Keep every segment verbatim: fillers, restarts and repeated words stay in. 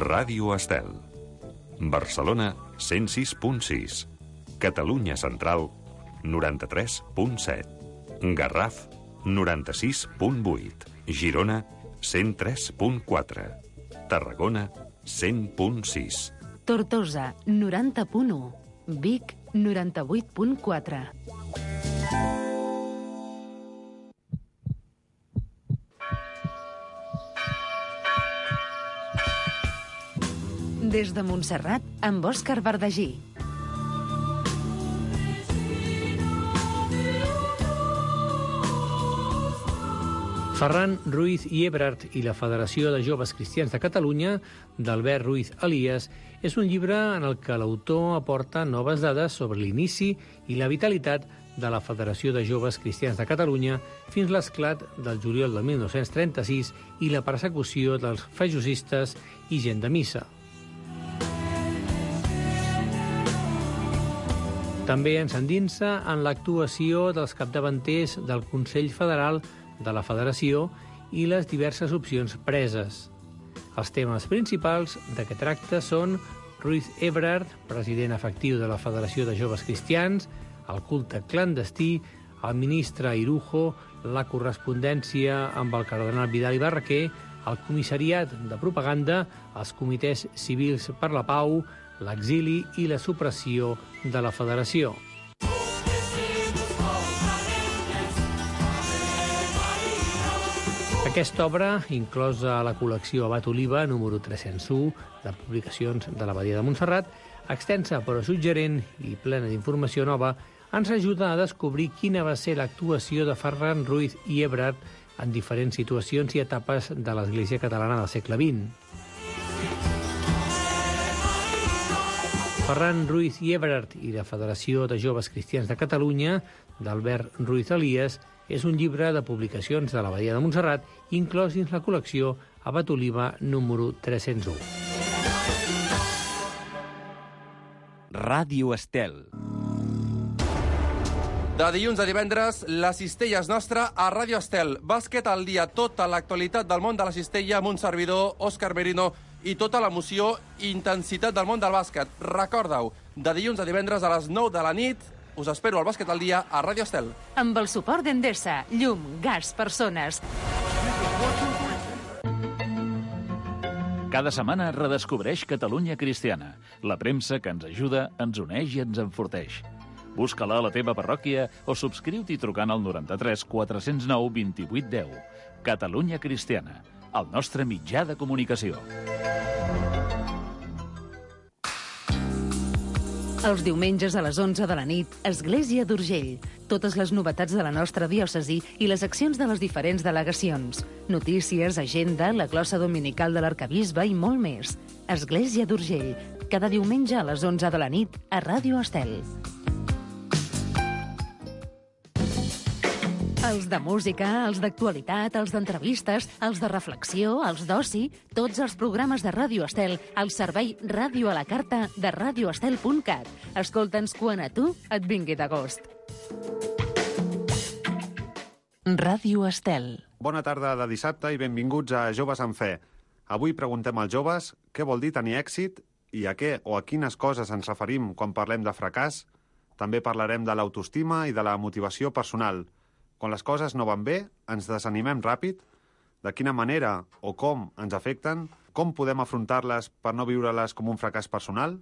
Ràdio Estel. Barcelona, cent sis punt sis. Catalunya Central, noranta-tres punt set. Garraf, noranta-sis punt vuit. Girona, cent tres punt quatre. Tarragona, cent punt sis. Tortosa, noranta punt u. Vic, noranta-vuit punt quatre. Des de Montserrat, amb Òscar Verdagí. Ferran Ruiz i Ebrard i la Federació de Joves Cristians de Catalunya, d'Albert Ruiz Elias, és un llibre en el que l'autor aporta noves dades sobre l'inici i la vitalitat de la Federació de Joves Cristians de Catalunya fins l'esclat del juliol de mil nou-cents trenta-sis i la persecució dels fajosistes i gent de missa. També ens endinsa en l'actuació dels capdavanters del Consell Federal de la Federació i les diverses opcions preses. Els temes principals de què tracta són Ruiz Ebrard, president efectiu de la Federació de Joves Cristians, el culte clandestí, el ministre Irujo, la correspondència amb el cardenal Vidal i Barraquer, el comissariat de propaganda, els comitès civils per la pau, l'exili i la supressió de la Federació. Aquesta obra, inclosa a la col·lecció Abat Oliva, número tres-cents u, de publicacions de l'Abadia de Montserrat, extensa però suggerent i plena d'informació nova, ens ajuda a descobrir quina va ser l'actuació de Ferran Ruiz i Ebrard en diferents situacions i etapes de l'Església catalana del segle vint. Ferran Ruiz i Ebrard i la Federació de Joves Cristians de Catalunya, d'Albert Ruiz Elias, és un llibre de publicacions de l'Abadia de Montserrat, inclòs dins la col·lecció Abat Oliva número tres-cents u. Ràdio Estel. De dilluns a divendres, la cistella és nostra a Ràdio Estel. Bàsquet al dia, tota l'actualitat del món de la cistella amb un servidor, Òscar Merino, i tota l'emoció i intensitat del món del bàsquet. Recorda-ho, de dilluns a divendres a les nou de la nit, us espero al Bàsquet al dia a Ràdio Estel. Amb el suport d'Endesa, llum, gas, persones. Cada setmana redescobreix Catalunya Cristiana, la premsa que ens ajuda, ens uneix i ens enforteix. Busca-la a la teva parròquia o subscriu-t'hi trucant al noranta-tres quatre-cents nou vint-i-vuit deu. Catalunya Cristiana, el nostre mitjà de comunicació. Els diumenges a les onze de la nit, Església d'Urgell. Totes les novetats de la nostra diòcesi i les accions de les diferents delegacions. Notícies, agenda, la glossa dominical de l'arcabisbe i molt més. Església d'Urgell. Cada diumenge a les onze de la nit a Ràdio Estel. Els de música, els d'actualitat, els d'entrevistes, els de reflexió, els d'oci, tots els programes de Ràdio Estel al servei Ràdio a la Carta de radioestel punt cat. Escolta'ns quan a tu et vingui de gust. Ràdio Estel. Bona tarda de dissabte i benvinguts a Joves en Fe. Avui preguntem als joves què vol dir tenir èxit i a què o a quines coses ens referim quan parlem de fracàs. També parlarem de l'autoestima i de la motivació personal. Quan les coses no van bé, ens desanimem ràpid? De quina manera o com ens afecten? Com podem afrontar-les per no viure-les com un fracàs personal?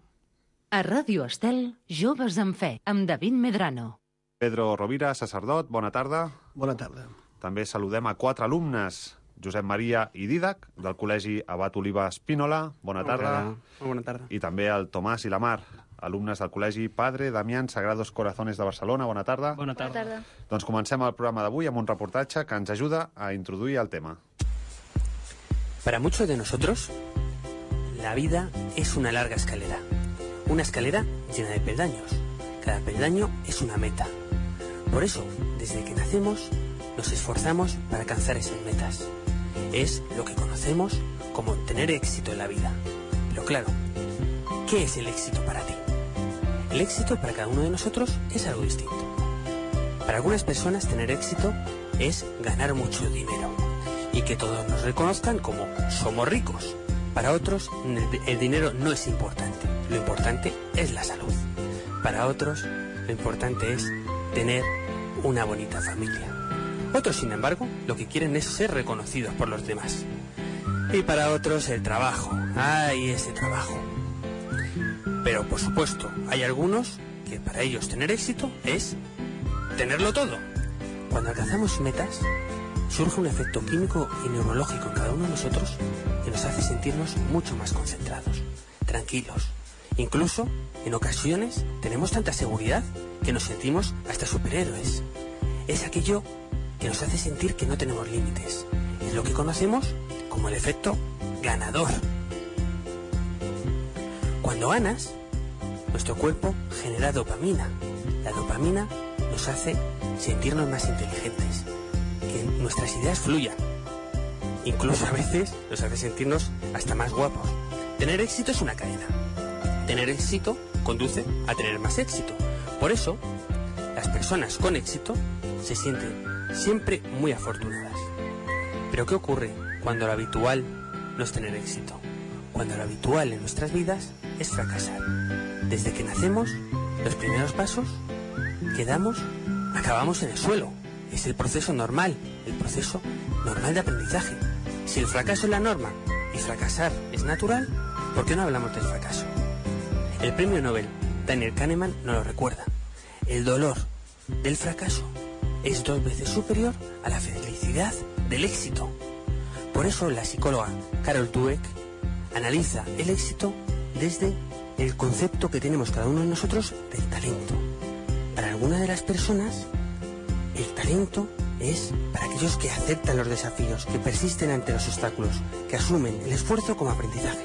A Ràdio Estel, Joves en Fe, amb David Medrano. Pedro Rovira, sacerdot, bona tarda. Bona tarda. També saludem a quatre alumnes, Josep Maria i Dídac, del Col·legi Abat Oliva Espínola. Bona tarda. Bona tarda. I també el Tomàs i la Mar, alumnes del Col·legi Padre Damián Sagrados Corazones de Barcelona. Bona tarda. Bona tarda. Bona tarda. Doncs comencem el programa d'avui amb un reportatge que ens ajuda a introduir el tema. Para muchos de nosotros, la vida es una larga escalera. Una escalera llena de peldaños. Cada peldaño es una meta. Por eso, desde que nacemos, nos esforzamos para alcanzar esas metas. Es lo que conocemos como tener éxito en la vida. Pero claro, ¿qué es el éxito para ti? El éxito para cada uno de nosotros es algo distinto. Para algunas personas tener éxito es ganar mucho dinero y que todos nos reconozcan como somos ricos. Para otros, el dinero no es importante. Lo importante es la salud. Para otros, lo importante es tener una bonita familia. Otros, sin embargo, lo que quieren es ser reconocidos por los demás. Y para otros, el trabajo. ¡Ay, ese trabajo! Pero, por supuesto, hay algunos que para ellos tener éxito es tenerlo todo. Cuando alcanzamos metas, surge un efecto químico y neurológico en cada uno de nosotros que nos hace sentirnos mucho más concentrados, tranquilos. Incluso, en ocasiones, tenemos tanta seguridad que nos sentimos hasta superhéroes. Es aquello que nos hace sentir que no tenemos límites. Es lo que conocemos como el efecto ganador. Cuando ganas, nuestro cuerpo genera dopamina. La dopamina nos hace sentirnos más inteligentes, que nuestras ideas fluyan. Incluso a veces nos hace sentirnos hasta más guapos. Tener éxito es una cadena. Tener éxito conduce a tener más éxito. Por eso, las personas con éxito se sienten siempre muy afortunadas. Pero ¿qué ocurre cuando lo habitual no es tener éxito? Cuando lo habitual en nuestras vidas es fracasar. Desde que nacemos, los primeros pasos que damos, acabamos en el suelo. Es el proceso normal, el proceso normal de aprendizaje. Si el fracaso es la norma y fracasar es natural, ¿por qué no hablamos del fracaso? El premio Nobel, Daniel Kahneman, nos lo recuerda. El dolor del fracaso es dos veces superior a la felicidad del éxito. Por eso la psicóloga Carol Dweck analiza el éxito desde el concepto que tenemos cada uno de nosotros del talento. Para algunas de las personas, el talento es para aquellos que aceptan los desafíos, que persisten ante los obstáculos, que asumen el esfuerzo como aprendizaje.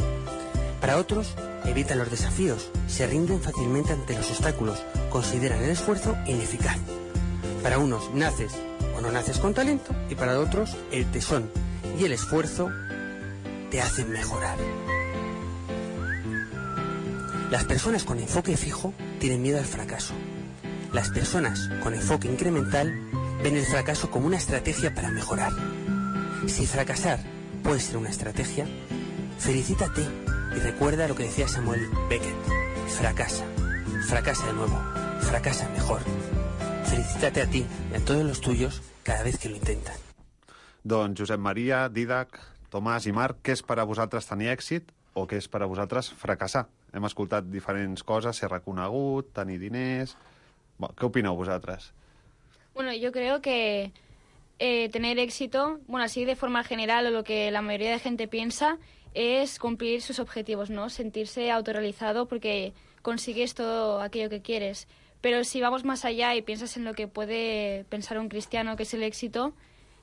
Para otros, evitan los desafíos, se rinden fácilmente ante los obstáculos, consideran el esfuerzo ineficaz. Para unos naces o no naces con talento, y para otros el tesón y el esfuerzo te hacen mejorar. Las personas con enfoque fijo tienen miedo al fracaso. Las personas con enfoque incremental ven el fracaso como una estrategia para mejorar. Si fracasar puede ser una estrategia, felicítate y recuerda lo que decía Samuel Beckett. Fracasa, fracasa de nuevo, fracasa mejor. Felicítate a ti y a todos los tuyos cada vez que lo intentan. Doncs Josep Maria, Dídac, Tomàs i Marc, què és per a vosaltres tenir èxit o què és per a vosaltres fracassar? Hem escoltat diferents coses, ser reconegut, tenir diners... Bueno, ¿qué opineu vosaltres? Bueno, yo creo que eh, tener éxito, bueno, así de forma general o lo que la mayoría de gente piensa, es cumplir sus objetivos, ¿no? Sentirse autorrealizado porque consigues todo aquello que quieres. Pero si vamos más allá y piensas en lo que puede pensar un cristiano, que es el éxito,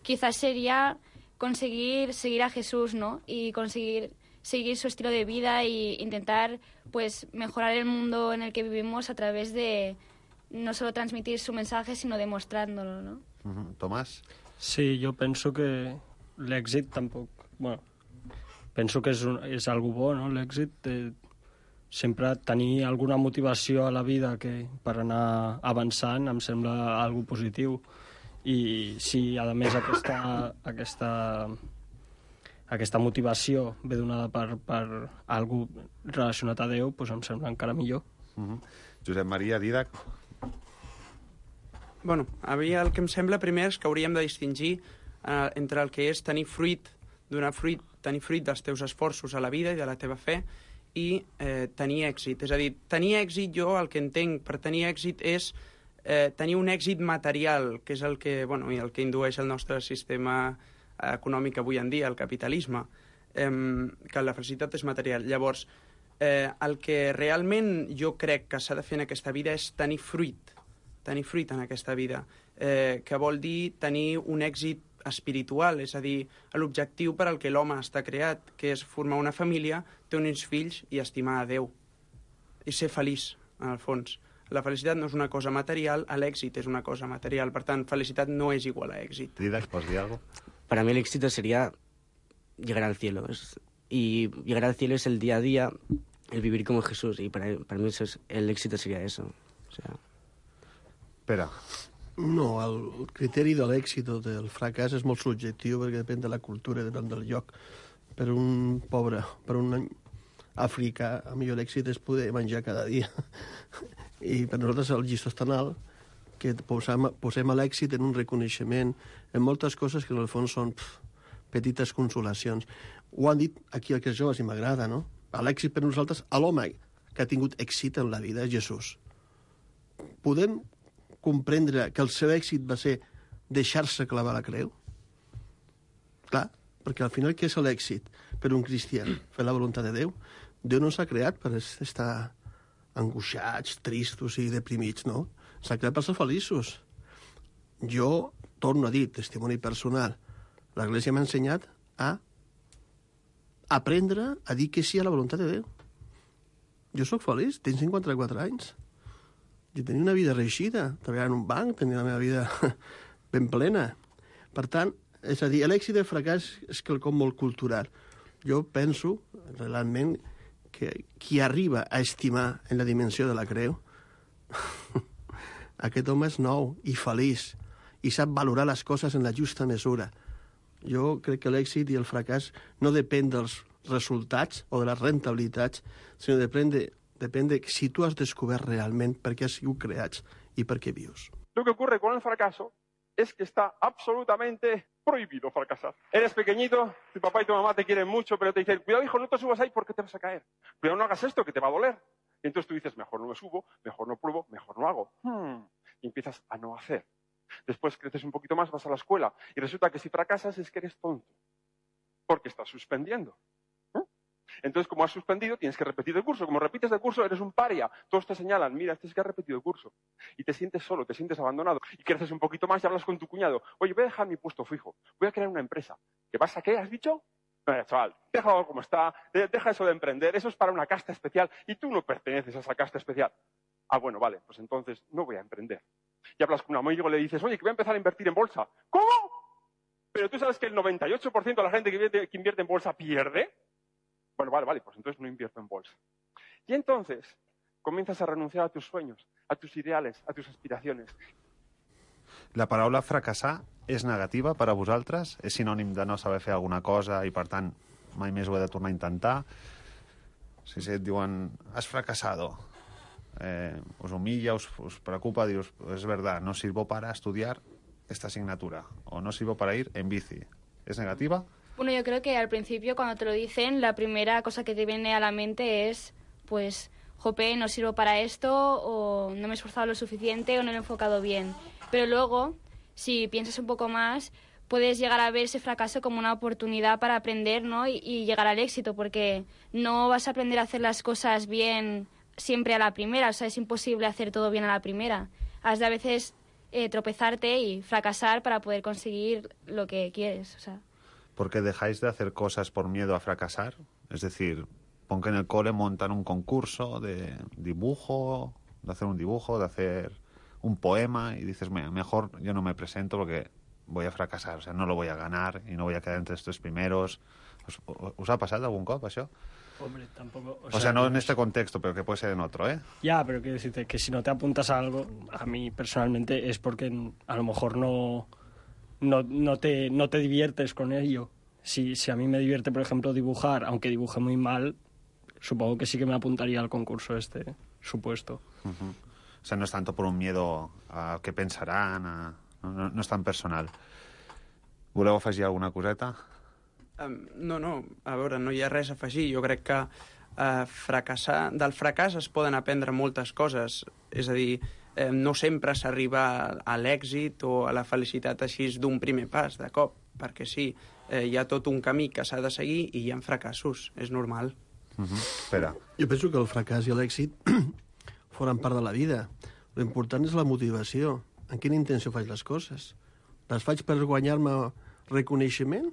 quizás sería conseguir seguir a Jesús, ¿no? Y conseguir seguir su estilo de vida e intentar, pues, mejorar el mundo en el que vivimos a través de no solo transmitir su mensaje, sino demostrándolo, ¿no? Uh-huh. Tomàs? Sí, jo penso que l'èxit tampoc... Bueno, penso que és, un, és algo bo, no?, l'èxit. De sempre tenir alguna motivació a la vida que per anar avançant em sembla algo positiu. I si, a més, aquesta, aquesta, aquesta motivació ve donada per, per algo relacionat a Déu, doncs em sembla encara millor. Uh-huh. Josep Maria, Dídac? Bueno, a mi el que em sembla primer és que hauríem de distingir eh, entre el que és tenir fruit, donar fruit, tenir fruit dels teus esforços a la vida i de la teva fe i eh, tenir èxit. És a dir, tenir èxit, jo el que entenc per tenir èxit és eh, tenir un èxit material, que és el que, bueno, i el que indueix el nostre sistema econòmic avui en dia, el capitalisme, eh, que la felicitat és material. Llavors, eh, el que realment jo crec que s'ha de fer en aquesta vida és tenir fruit, tenir fruit en aquesta vida, eh, que vol dir tenir un èxit espiritual, és a dir, l'objectiu per al que l'home està creat, que és formar una família, tenir uns fills i estimar a Déu. I ser feliç, en el fons. La felicitat no és una cosa material, l'èxit és una cosa material. Per tant, felicitat no és igual a èxit. Dídac, ¿pots dir algo? Para mí el éxito sería llegar al cielo. Es, y llegar al cielo es el día a día, el vivir como Jesús. Y para, para mí eso es, el éxito sería eso. O sea... Pere. No, el criteri de l'èxit o del fracàs és molt subjectiu perquè depèn de la cultura, depèn del lloc. per un pobre, per un africà, el millor èxit és poder menjar cada dia. I per nosaltres el llistó és tan alt que posem, posem l'èxit en un reconeixement, en moltes coses que en el fons són pf, petites consolacions. Ho han dit aquí els joves i m'agrada, no? L'èxit per nosaltres, a l'home que ha tingut èxit en la vida és Jesús. Podem comprendre que el seu èxit va ser deixar-se clavar la creu? Clar, perquè al final què és l'èxit per un cristià? Fer la voluntat de Déu? Déu no s'ha creat per estar angoixats, tristos i deprimits, no? S'ha creat per ser feliços. Jo, torno a dir, testimoni personal, l'Església m'ha ensenyat a aprendre a dir que sí a la voluntat de Déu. Jo sóc feliç, tinc cinquanta-quatre anys. Jo tenia una vida reeixida, treballava en un banc, tenia la meva vida ben plena. Per tant, és a dir, l'èxit i el fracàs és quelcom molt cultural. Jo penso, realment, que qui arriba a estimar en la dimensió de la creu, aquest home és nou i feliç i sap valorar les coses en la justa mesura. Jo crec que l'èxit i el fracàs no depèn dels resultats o de les rentabilitats, sinó depèn de, depèn de si tu has descobert realment per què has sigut creats i per què vius. Lo que ocurre con el fracaso es que está absolutamente prohibido fracasar. Eres pequeñito, tu papá y tu mamá te quieren mucho, pero te dicen, cuidado hijo, no te subas ahí porque te vas a caer. Cuidado, no hagas esto que te va a doler. Y entonces tú dices, mejor no me subo, mejor no pruebo, mejor no hago. Hmm. Y empiezas a no hacer. Después creces un poquito más, vas a la escuela y resulta que si fracasas es que eres tonto, porque estás suspendiendo. ¿Eh? Entonces, como has suspendido, tienes que repetir el curso. Como repites el curso, eres un paria. Todos te señalan, mira, este es que ha repetido el curso. Y te sientes solo, te sientes abandonado. Y creces un poquito más y hablas con tu cuñado. Oye, voy a dejar mi puesto fijo, voy a crear una empresa. ¿Qué pasa? ¿Qué has dicho? Eh, chaval, déjalo como está, deja eso de emprender, eso es para una casta especial y tú no perteneces a esa casta especial. Ah, bueno, vale, pues entonces no voy a emprender. Y hablas con un amigo y le dices, oye, que voy a empezar a invertir en bolsa. ¿Cómo? Pero tú sabes que el noventa y ocho por ciento de la gente que invierte, que invierte en bolsa pierde. Bueno, vale, vale, pues entonces no invierto en bolsa. Y entonces comienzas a renunciar a tus sueños, a tus ideales, a tus aspiraciones. La paraula fracassar és negativa per a vosaltres? És sinònim de no saber fer alguna cosa i, per tant, mai més ho he de tornar a intentar? Si et diuen, has fracasado, eh, us humilla, us, us preocupa, dius, es verdad, no sirvo para estudiar esta asignatura, o no sirvo para ir en bici. ¿Es negativa? Bueno, yo creo que al principio, cuando te lo dicen, la primera cosa que te viene a la mente es, pues, jope, no sirvo para esto, o no me he esforzado lo suficiente, o no lo he enfocado bien. Pero luego, si piensas un poco más, puedes llegar a ver ese fracaso como una oportunidad para aprender, ¿no? y, y llegar al éxito, porque no vas a aprender a hacer las cosas bien siempre a la primera, o sea, es imposible hacer todo bien a la primera. Has de a veces eh, tropezarte y fracasar para poder conseguir lo que quieres, o sea. ¿Porque dejáis de hacer cosas por miedo a fracasar? Es decir, pon que en el cole montan un concurso de dibujo, de hacer un dibujo, de hacer un poema, y dices, mejor yo no me presento porque voy a fracasar, o sea, no lo voy a ganar y no voy a quedar entre estos primeros. ¿Os, os ha pasado algún cop això? Hombre, tampoco... O, o sea, sea, no en este contexto, pero que puede ser en otro, ¿eh? Ya, pero quiero decirte que si no te apuntas a algo, a mí personalmente es porque a lo mejor no, no, no, te, no te diviertes con ello. Si, si a mí me divierte, por ejemplo, dibujar, aunque dibuje muy mal, supongo que sí que me apuntaría al concurso este, supuesto. Uh-huh. O sea, no es tanto por un miedo a què pensaran, a... no, no, no és tan personal. Voleu afegir alguna coseta? Um, no, no, a veure, no hi ha res a afegir. Jo crec que uh, fracassar... del fracàs es poden aprendre moltes coses. És a dir, eh, no sempre s'arriba a l'èxit o a la felicitat així d'un primer pas, de cop, perquè sí, eh, hi ha tot un camí que s'ha de seguir i hi ha fracassos, és normal. Uh-huh. Espera. Jo penso que el fracàs i l'èxit formen part de la vida. L'important és la motivació. En quina intenció faig les coses? Les faig per guanyar-me reconeixement,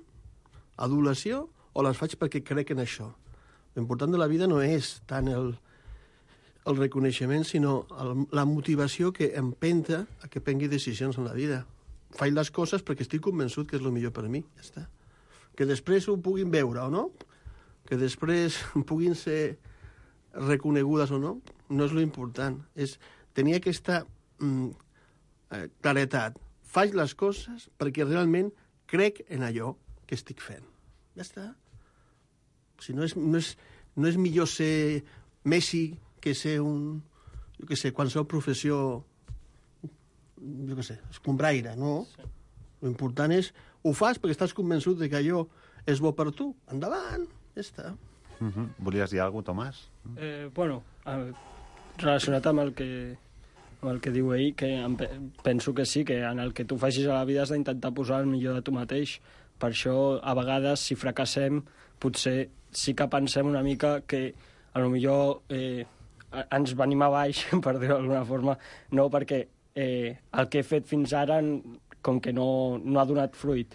adulació, o les faig perquè crec en això? L'important de la vida no és tant el, el reconeixement, sinó el, la motivació que empenta a que prengui decisions en la vida. Faig les coses perquè estic convençut que és el millor per mi. Ja està. Que després ho puguin veure o no, que després puguin ser reconegudes o no, no és lo important. És tenir aquesta mm, claretat. Faig les coses perquè realment crec en allò que estic fent. Ja està. Si no és, no és, no és millor ser Messi que ser un... jo què sé, qualsevol professió... jo què sé, escombraire, no? Sí. L'important és... Ho fas perquè estàs convençut de que allò és bo per tu. Endavant, ja està. Uh -huh. Volies dir alguna cosa, Tomàs? Eh, bueno, eh, relacionat amb el que, amb el que diu ell, que em, penso que sí, que en el que tu facis a la vida has d'intentar posar el millor de tu mateix. Per això, a vegades, si fracassem, potser sí que pensem una mica que a lo millor eh, ens venim a baix, per dir-ho d'alguna forma, no perquè eh, el que he fet fins ara com que no, no ha donat fruit,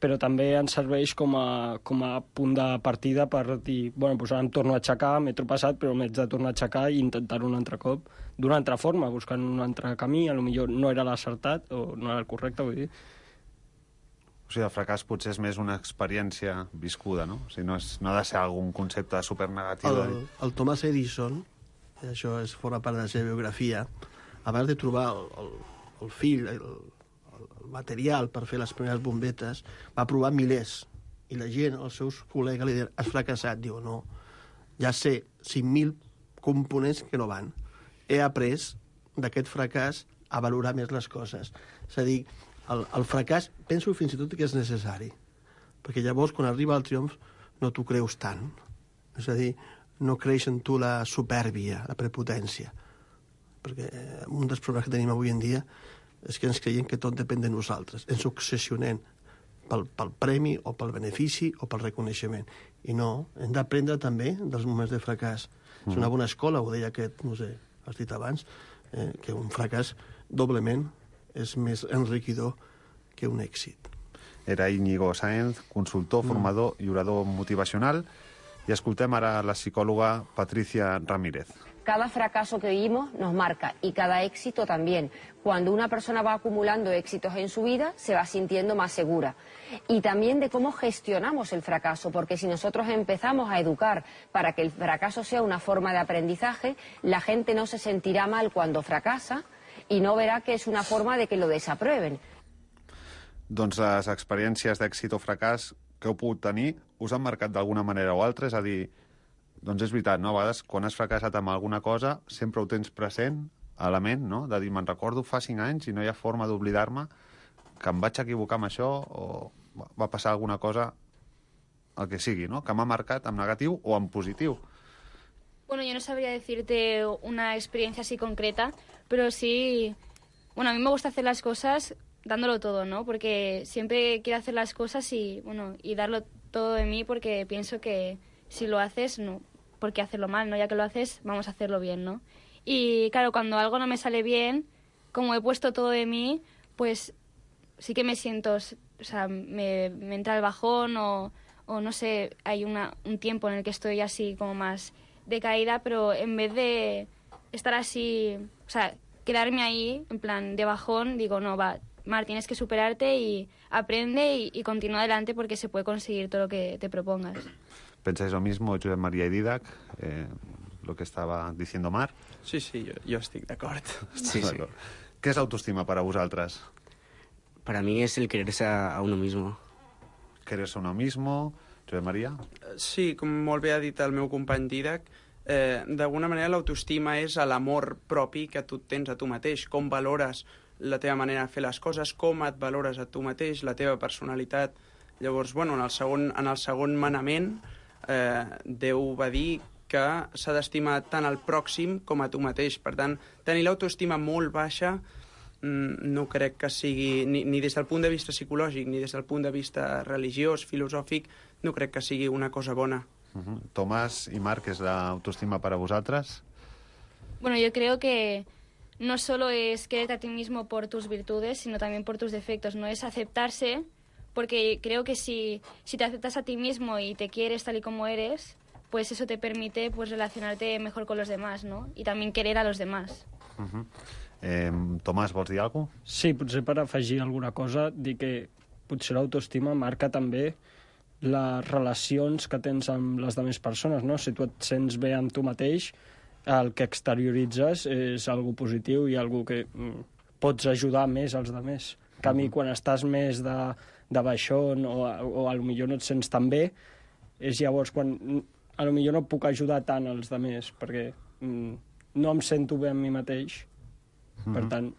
però també ens serveix com a, com a punt de partida per dir, bueno, doncs ara em torno a aixecar, m'he tropeçat, però m'haig de tornar a aixecar i intentar-ho un altre cop, d'una altra forma, buscant un altre camí, a lo millor no era l'acertat o no era el correcte, vull dir. O sigui, el fracàs potser és més una experiència viscuda, no? O sigui, no, és, no ha de ser algun concepte supernegatiu. El, el Thomas Edison, i això és forma part de la seva biografia, abans de trobar el, el, el fil, el, el material per fer les primeres bombetes, va provar milers. I la gent, els seus col·legues, li diuen, has fracassat. Diu, no, ja sé cinc mil components que no van. He après d'aquest fracàs a valorar més les coses. És a dir, el, el fracàs penso fins i tot que és necessari, perquè llavors quan arriba el triomf no t'ho creus tant. És a dir, no creix en tu la supèrbia, la prepotència. Perquè un dels problemes que tenim avui en dia és que ens creiem que tot depèn de nosaltres. Ens obsessionem pel, pel premi o pel benefici o pel reconeixement. I no, hem d'aprendre també dels moments de fracàs. Mm. És una bona escola, ho deia aquest, no sé, has dit abans, eh, que un fracàs doblement és més enriquidor que un èxit. Era Íñigo Sáenz, consultor, formador mm. i orador motivacional. I escoltem ara la psicòloga Patricia Ramírez. Cada fracaso que vivimos nos marca y cada éxito también. Cuando una persona va acumulando éxitos en su vida, se va sintiendo más segura. Y también de cómo gestionamos el fracaso, porque si nosotros empezamos a educar para que el fracaso sea una forma de aprendizaje, la gente no se sentirá mal cuando fracasa y no verá que es una forma de que lo desaprueben. Doncs les experiències d'èxit o fracàs que heu pogut tenir us han marcat d'alguna manera o altra? És a dir, doncs és veritat, no? A vegades, quan has fracassat amb alguna cosa, sempre ho tens present, a la ment, no? De dir, me'n recordo fa cinc anys i no hi ha forma d'oblidar-me que em vaig equivocar amb això o va passar alguna cosa, el que sigui, no? Que m'ha marcat en negatiu o en positiu. Bueno, yo no sabría decirte una experiencia así concreta, pero sí... Bueno, a mí me gusta hacer las cosas dándolo todo, ¿no? Porque siempre quiero hacer las cosas y, bueno, y darlo todo de mí porque pienso que si lo haces, no, ¿por qué hacerlo mal, no? Ya que lo haces, vamos a hacerlo bien, ¿no? Y claro, cuando algo no me sale bien, como he puesto todo de mí, pues sí que me siento, o sea, me, me entra el bajón o, o no sé, hay una, un tiempo en el que estoy así como más decaída, pero en vez de estar así, o sea, quedarme ahí, en plan de bajón, digo, no, va, Mar, tienes que superarte y aprende y, y continúa adelante porque se puede conseguir todo lo que te propongas. ¿Pensáis lo mismo, Josep María y Didac, eh, lo que estaba diciendo Mar? Sí, sí, jo, jo estic d'acord. Sí, sí. ¿Qué es autoestima para vosotras? Para mí es el quererse a, a uno mismo. ¿Quererse a uno mismo? Josep María? Sí, com molt bé ha dit el meu company Didac, eh, d'alguna manera l'autoestima és l'amor propi que tu tens a tu mateix, com valores la teva manera de fer les coses, com et valores a tu mateix, la teva personalitat. Llavors, bueno, en el segon, en el segon manament, eh, Déu va dir que s'ha d'estimar tant al pròxim com a tu mateix. Per tant, tenir l'autoestima molt baixa no crec que sigui, ni, ni des del punt de vista psicològic, ni des del punt de vista religiós, filosòfic, no crec que sigui una cosa bona. Uh-huh. Tomás y Marc, ¿es la autoestima para vosotras? Bueno, yo creo que no solo es quererte a ti mismo por tus virtudes, sino también por tus defectos, no es aceptarse, porque creo que si, si te aceptas a ti mismo y te quieres tal y como eres, pues eso te permite pues relacionarte mejor con los demás, ¿no? Y también querer a los demás. Uh-huh. eh, Tomàs, vols dir alguna cosa? Sí, potser per afegir alguna cosa, dir que potser l'autoestima marca també les relacions que tens amb les altres persones, no? Si tu et sents bé amb tu mateix, el que exterioritzes és algo positiu i algo que mm, pots ajudar més als altres. En canvi, quan estàs més de, de baixón o, o potser no et sents tan bé, és llavors quan a lo millor no puc ajudar tant als altres, perquè mm, no em sento bé amb mi mateix. Mm-hmm. Per tant,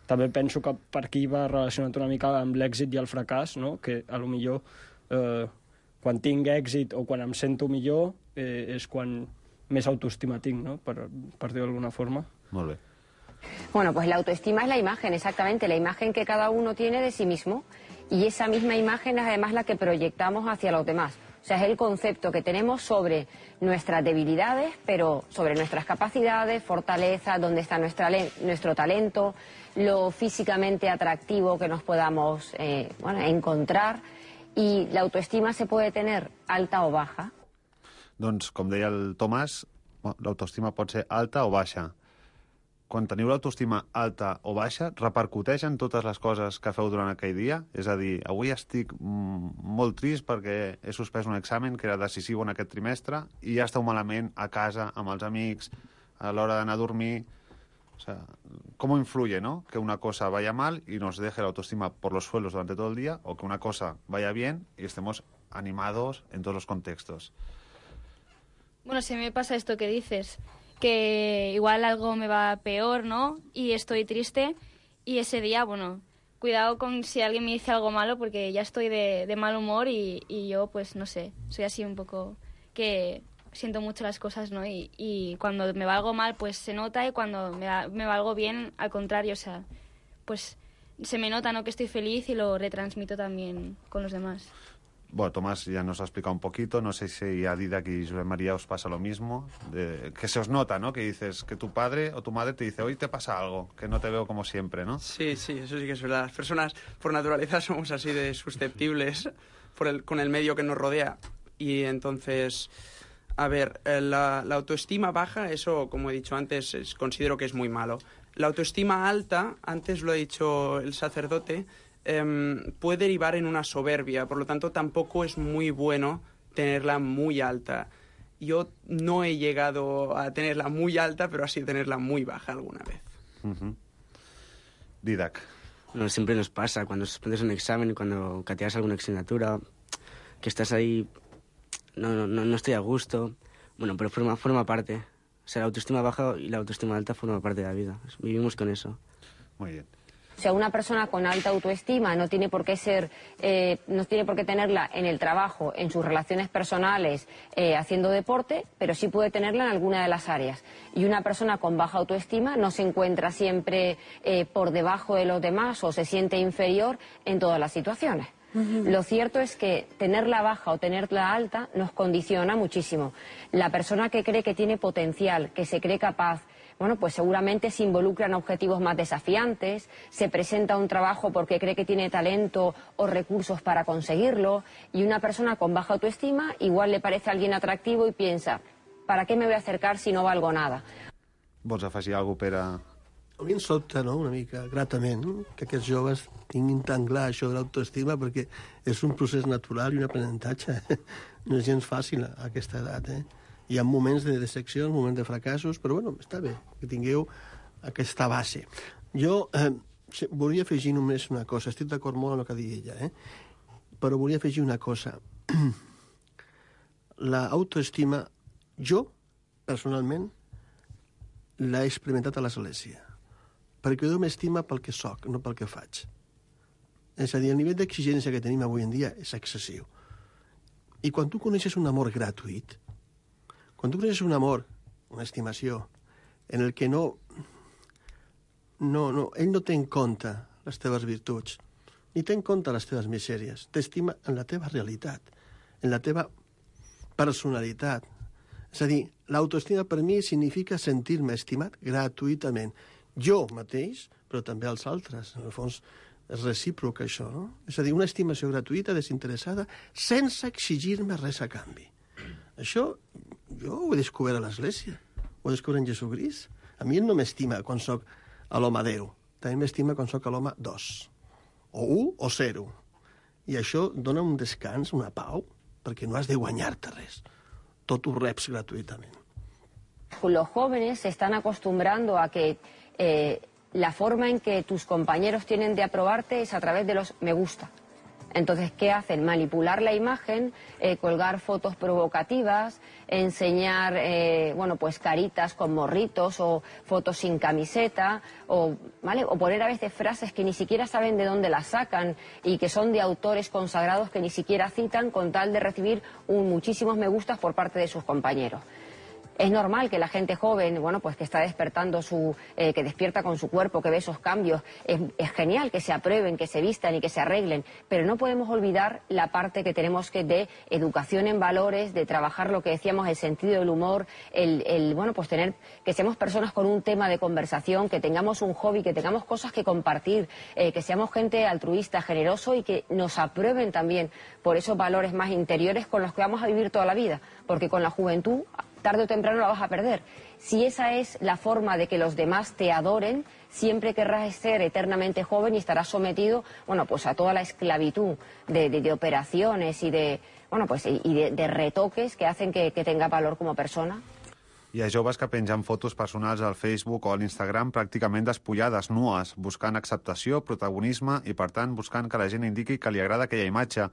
també penso que per aquí va relacionat una mica amb l'èxit i el fracàs, no? Que a lo millor eh, quan tinc èxit o quan em sento millor eh, és quan més autoestima tinc, ¿no? Per, per dir-ho d'alguna forma. Molt bé. Bueno, pues la autoestima es la imagen, exactamente, la imagen que cada uno tiene de sí mismo, y esa misma imagen es además la que proyectamos hacia los demás. O sea, es el concepto que tenemos sobre nuestras debilidades, pero sobre nuestras capacidades, fortalezas, dónde está nuestra, nuestro talento, lo físicamente atractivo que nos podamos eh, bueno, encontrar. Y la autoestima se puede tener alta o baja. Doncs, com deia el Tomàs, l'autoestima pot ser alta o baixa. Quan teniu l'autoestima alta o baixa, repercuteix en totes les coses que feu durant aquell dia? És a dir, avui estic molt trist perquè he suspès un examen que era decisiu en aquest trimestre i ja esteu malament a casa, amb els amics, a l'hora d'anar a dormir. O sea, ¿cómo influye, no? Que una cosa vaya mal y nos deje la autoestima por los suelos durante todo el día, o que una cosa vaya bien y estemos animados en todos los contextos. Bueno, si me pasa esto que dices, que igual algo me va peor, ¿no? Y estoy triste, y ese día, bueno, cuidado con si alguien me dice algo malo, porque ya estoy de, de mal humor y, y yo, pues, no sé, soy así un poco que siento mucho las cosas, ¿no? Y, y cuando me va algo mal, pues se nota, y cuando me va, me va algo bien, al contrario, o sea, pues se me nota, ¿no? Que estoy feliz y lo retransmito también con los demás. Bueno, Tomás ya nos ha explicado un poquito, no sé si a Didac y Josep María os pasa lo mismo, de, que se os nota, ¿no? Que dices que tu padre o tu madre te dice, hoy te pasa algo, que no te veo como siempre, ¿no? Sí, sí, eso sí que es verdad. Las personas por naturaleza somos así de susceptibles por el, con el medio que nos rodea. Y entonces, a ver, la, la autoestima baja, eso, como he dicho antes, es, considero que es muy malo. La autoestima alta, antes lo ha dicho el sacerdote, Eh, puede derivar en una soberbia, por lo tanto tampoco es muy bueno tenerla muy alta. Yo no he llegado a tenerla muy alta, pero así tenerla muy baja alguna vez. Uh-huh. Didac. Bueno, siempre nos pasa cuando suspendes un examen y cuando cateas alguna asignatura, que estás ahí, no, no, no estoy a gusto. Bueno, pero forma, forma parte. O sea, la autoestima baja y la autoestima alta forma parte de la vida. Vivimos con eso. Muy bien. O sea, una persona con alta autoestima no tiene por qué ser, eh, no tiene por qué tenerla en el trabajo, en sus relaciones personales, eh, haciendo deporte, pero sí puede tenerla en alguna de las áreas. Y una persona con baja autoestima no se encuentra siempre eh, por debajo de los demás o se siente inferior en todas las situaciones. Uh-huh. Lo cierto es que tenerla baja o tenerla alta nos condiciona muchísimo. La persona que cree que tiene potencial, que se cree capaz, bueno, pues seguramente se involucra en objetivos más desafiantes, se presenta a un trabajo porque cree que tiene talento o recursos para conseguirlo, y una persona con baja autoestima igual le parece a alguien atractivo y piensa, ¿para qué me voy a acercar si no valgo nada? Vols afegir alguna cosa per a... A mi em sobta, no?, una mica, gratament, que aquests joves tinguin tan clar això de l'autoestima, perquè és un procés natural i un aprenentatge. No és gens fàcil a aquesta edat, eh? Hi ha moments de decepcions, moments de fracassos, però bueno, està bé que tingueu aquesta base. Jo eh, volia afegir només una cosa, estic d'acord molt amb el que digui ella, eh? Però volia afegir una cosa. L'autoestima, jo, personalment, l'he experimentat a l'església, perquè jo m'estima pel que soc, no pel que faig. És a dir, el nivell d'exigència que tenim avui en dia és excessiu. I quan tu coneixes un amor gratuït, quan tu coneixes un amor, una estimació, en el que no, no, no, ell no té en compte les teves virtuts, ni té en compte les teves misèries, t'estima en la teva realitat, en la teva personalitat. És a dir, l'autoestima per mi significa sentir-me estimat gratuïtament. Jo mateix, però també els altres. En el fons, és recíproc això, no? És a dir, una estimació gratuïta, desinteressada, sense exigir-me res a canvi. Això jo ho he descobert a l'Església, ho he descobert en Jesucrist. A mi ell no m'estima quan soc a l'home deu, també m'estima quan soc a l'home dos, o un o zero. I això dona un descans, una pau, perquè no has de guanyar-te res. Tot ho reps gratuïtament. Los jóvenes se están acostumbrando a que eh, la forma en que tus compañeros tienen de aprobarte es a través de los me gusta. Entonces, ¿qué hacen? Manipular la imagen, eh, colgar fotos provocativas, enseñar, eh, bueno, pues caritas con morritos o fotos sin camiseta, o, ¿vale? O poner a veces frases que ni siquiera saben de dónde las sacan y que son de autores consagrados que ni siquiera citan con tal de recibir un, muchísimos me gustas por parte de sus compañeros. Es normal que la gente joven, bueno, pues que está despertando su, eh, que despierta con su cuerpo, que ve esos cambios, es, es genial que se aprueben, que se vistan y que se arreglen, pero no podemos olvidar la parte que tenemos que de educación en valores, de trabajar lo que decíamos, el sentido del humor, el, el bueno, pues tener, que seamos personas con un tema de conversación, que tengamos un hobby, que tengamos cosas que compartir, eh, que seamos gente altruista, generoso y que nos aprueben también por esos valores más interiores con los que vamos a vivir toda la vida, porque con la juventud tarde o temprano la vas a perder. Si esa es la forma de que los demás te adoren, siempre querrás ser eternamente joven y estarás sometido, bueno, pues a toda la esclavitud de, de, de operaciones y de, bueno, pues y de, de retoques que hacen que, que tenga valor como persona. Hi ha joves que pengen fotos personals al Facebook o a l'Instagram pràcticament despullades, nues, buscant acceptació, protagonisme i, per tant, buscant que la gent indiqui que li agrada aquella imatge.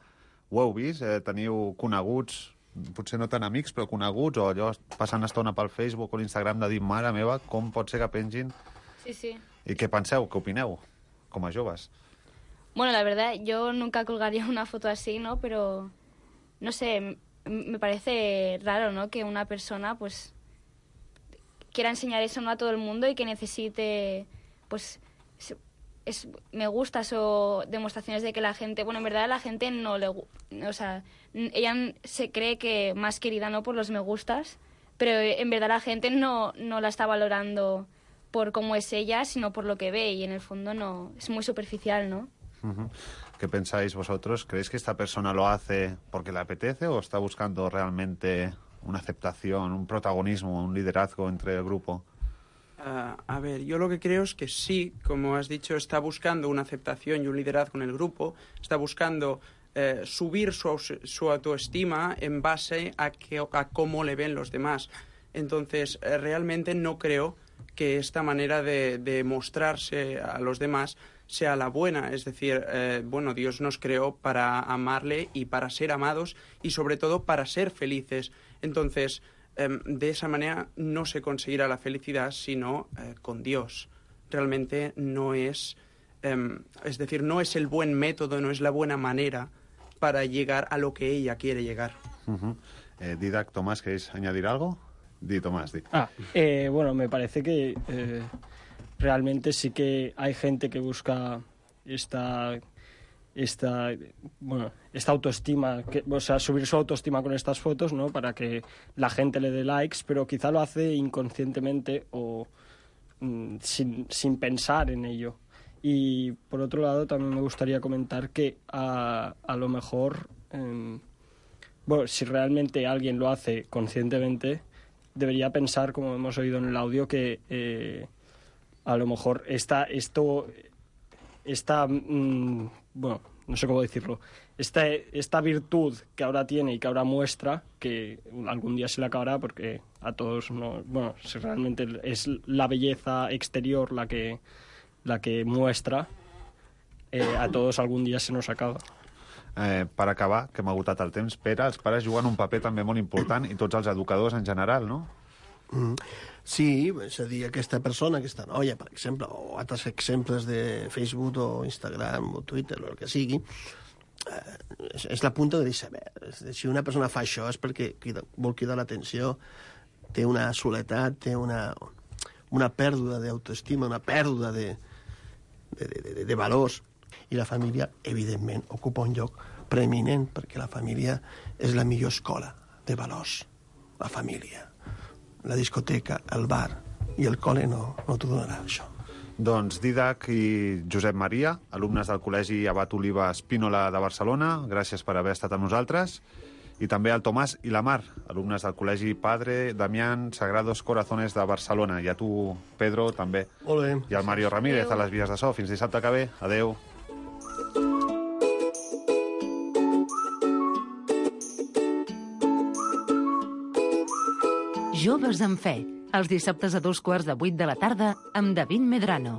Ho heu vist? Eh, teniu coneguts, potser no tan amics, però coneguts, o allò passant estona pel Facebook o l'Instagram de dir, mare meva, com pot ser que pengin? Sí, sí. I què penseu? Què opineu, com a joves? Bueno, la verdad, yo nunca colgaría una foto así, ¿no? Pero, no sé, me parece raro, ¿no? Que una persona, pues, quiera enseñar eso, ¿no? A todo el mundo y que necesite, pues, es, me gustas o demostraciones de que la gente, bueno, en verdad a la gente no le, o sea, ella se cree que más querida, ¿no? Por los me gustas, pero en verdad la gente no, no la está valorando por cómo es ella, sino por lo que ve, y en el fondo no, es muy superficial, ¿no? Uh-huh. ¿Qué pensáis vosotros? ¿Creéis que esta persona lo hace porque le apetece o está buscando realmente una aceptación, un protagonismo, un liderazgo entre el grupo? Uh, a ver, yo lo que creo es que sí, como has dicho, está buscando una aceptación y un liderazgo en el grupo, está buscando eh, subir su, su autoestima en base a, que, a cómo le ven los demás. Entonces, eh, realmente no creo que esta manera de, de mostrarse a los demás sea la buena. Es decir, eh, bueno, Dios nos creó para amarle y para ser amados y sobre todo para ser felices. Entonces, de esa manera no se conseguirá la felicidad, sino eh, con Dios. Realmente no es, eh, es decir, no es el buen método, no es la buena manera para llegar a lo que ella quiere llegar. Uh-huh. eh, Didac, Tomás, ¿queréis añadir algo? Di, Tomás, di. Ah, eh, bueno, me parece que eh, realmente sí que hay gente que busca esta... Esta, bueno, esta autoestima, que, o sea, subir su autoestima con estas fotos, ¿no? Para que la gente le dé likes, pero quizá lo hace inconscientemente o mm, sin, sin pensar en ello. Y por otro lado, también me gustaría comentar que a, a lo mejor, eh, bueno, si realmente alguien lo hace conscientemente, debería pensar, como hemos oído en el audio, que eh, a lo mejor esta, esto, esta, mmm, bueno, no sé cómo decirlo, esta, esta virtud que ahora tiene y que ahora muestra, que algún día se le acabará porque a todos, no, bueno, si realmente es la belleza exterior la que, la que muestra, eh, a todos algun dia se nos acaba. Eh, per acabar, que m'ha agotat el temps, Pere, els pares juguen un paper també molt important i tots els educadors en general, no? Mm. Sí, és a dir, aquesta persona, aquesta noia, per exemple, o altres exemples de Facebook o Instagram o Twitter o el que sigui, eh, és, és la punta de l'iceberg. Si una persona fa això és perquè crida, vol cridar l'atenció, té una soledat, té una, una pèrdua d'autoestima, una pèrdua de, de, de, de, de valors. I la família, evidentment, ocupa un lloc preeminent, perquè la família és la millor escola de valors. La família. La discoteca, el bar i el col·le no, no t'ho donarà, això. Doncs Didac i Josep Maria, alumnes del Col·legi Abat Oliva Espínola de Barcelona, gràcies per haver estat amb nosaltres. I també al Tomàs i la Mar, alumnes del Col·legi Padre Damián Sagrados Corazones de Barcelona. I a tu, Pedro, també. Molt bé. I al Mario Ramírez, a les vies de so. Fins dissabte que ve. Adeu. Joves en Fe, els dissabtes a dos quarts de vuit de la tarda amb David Medrano.